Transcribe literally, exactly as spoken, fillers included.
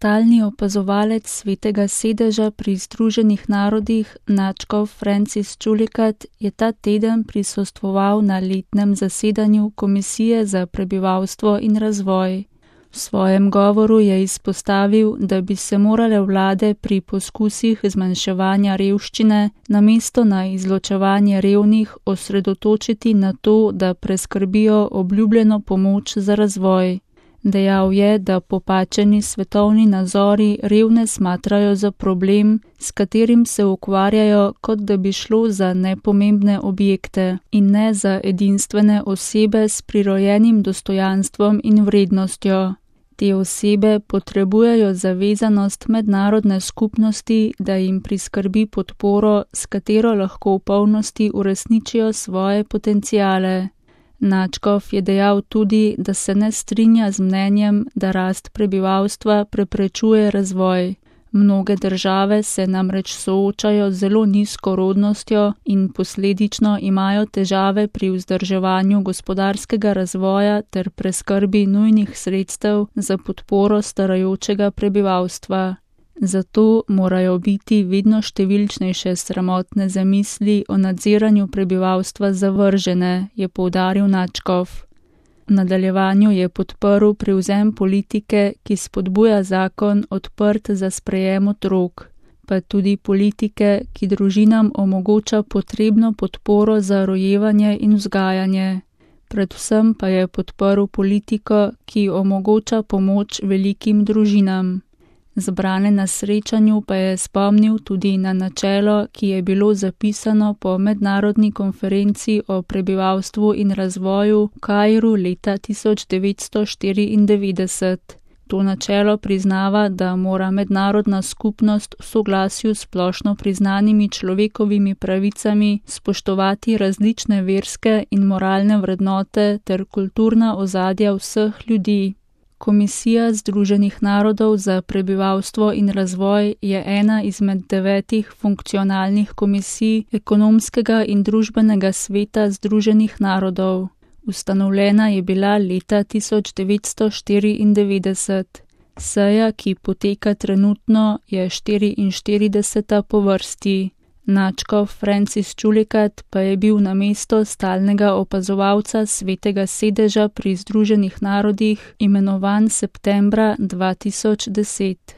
Stalni opazovalec Svetega sedeža pri Združenih narodih nadškof Francis Chulikat je ta teden prisostvoval na letnem zasedanju Komisije za prebivalstvo in razvoj. V svojem govoru je izpostavil, da bi se morale vlade pri poskusih zmanjševanja revščine namesto na izločevanje revnih osredotočiti na to, da preskrbijo obljubljeno pomoč za razvoj. Dejal je, da popačeni svetovni nazori revne smatrajo za problem, s katerim se ukvarjajo, kot da bi šlo za nepomembne objekte in ne za edinstvene osebe s prirojenim dostojanstvom in vrednostjo. Te osebe potrebujejo zavezanost mednarodne skupnosti, da jim priskrbi podporo, s katero lahko v polnosti uresničijo svoje potenciale. Nadškof je dejal tudi, da se ne strinja z mnenjem, da rast prebivalstva preprečuje razvoj. Mnoge države se namreč soočajo z zelo nizko rodnostjo in posledično imajo težave pri vzdrževanju gospodarskega razvoja ter preskrbi nujnih sredstev za podporo starajočega prebivalstva. Zato morajo biti vedno številčnejše sramotne zamisli o nadziranju prebivalstva zavržene, je poudaril Nadškof. V nadaljevanju je podprl prevzem politike, ki spodbuja zakon odprt za sprejem otrok, pa tudi politike, ki družinam omogoča potrebno podporo za rojevanje in vzgajanje. Predvsem pa je podprl politiko, ki omogoča pomoč velikim družinam. Zbrane na srečanju pa je spomnil tudi na načelo, ki je bilo zapisano po mednarodni konferenci o prebivalstvu in razvoju v Kairu leta tisoč devetsto štiriindevetdeset. To načelo priznava, da mora mednarodna skupnost v soglasju s splošno priznanimi človekovimi pravicami spoštovati različne verske in moralne vrednote ter kulturna ozadja vseh ljudi. Komisija Združenih narodov za prebivalstvo in razvoj je ena izmed devetih funkcionalnih komisij ekonomskega in družbenega sveta Združenih narodov. Ustanovljena je bila leta tisoč devetsto štiriindevetdeset. Seja, ki poteka trenutno, je štiriinštirideseta po vrsti. Nadškof Francis Chulikat pa je bil na mesto stalnega opazovalca Svetega sedeža pri Združenih narodih imenovan septembra dva tisoč deset.